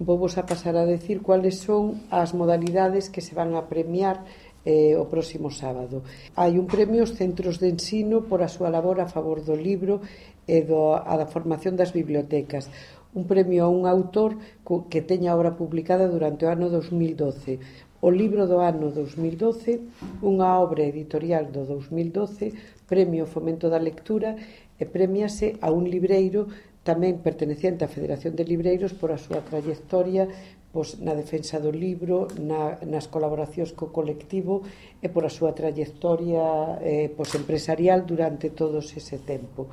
Vou a pasar a decir cuáles son as modalidades que se van a premiar o próximo sábado. Hai un premio aos centros de ensino por a súa labor a favor do libro e da formación das bibliotecas. Un premio a un autor que teña obra publicada durante o ano 2012. O libro do ano 2012, unha obra editorial do 2012, premio Fomento da Lectura, e premiase a un libreiro tamén perteneciente á Federación de Libreiros por a súa trayectoria na defensa do libro, nas colaboracións co colectivo e por a súa trayectoria empresarial durante todo ese tempo.